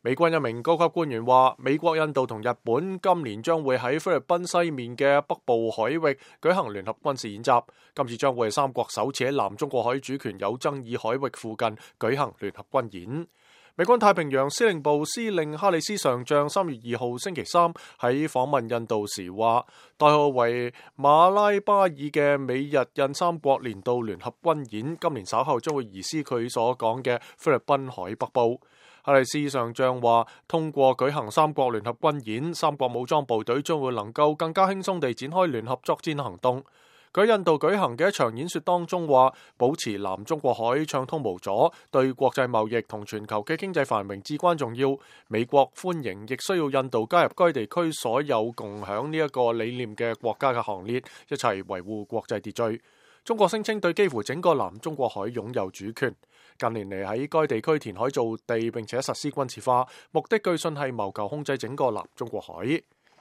美軍一名高級官員話，美國、印度同日本今年將會喺菲律賓西面嘅北部海域舉行聯合軍事演習。今次將會係三國首次喺南中國海主權有爭議海域附近舉行聯合軍演。美軍太平洋司令部司令哈里斯上將3月2號星期三喺訪問印度時話，代號為馬拉巴爾嘅美日印三國年度聯合軍演今年稍後將會移師佢所講嘅菲律賓海北部。哈里斯上將話，通過舉行三國聯合軍演，三國武裝部隊將會能夠更加輕鬆地展開聯合作戰行動。佢喺印度舉行嘅一場演說當中話，保持南中國海暢通無阻，對國際貿易同全球嘅經濟繁榮至關重要。美國歡迎亦需要印度加入該地區所有共享呢一個理念嘅國家嘅行列，一齊維護國際秩序。中國聲稱對幾乎整個南中國海擁有主權。近年嚟喺該地區填海造地並且實施軍事化，目的據信係謀求控制整個南中國海。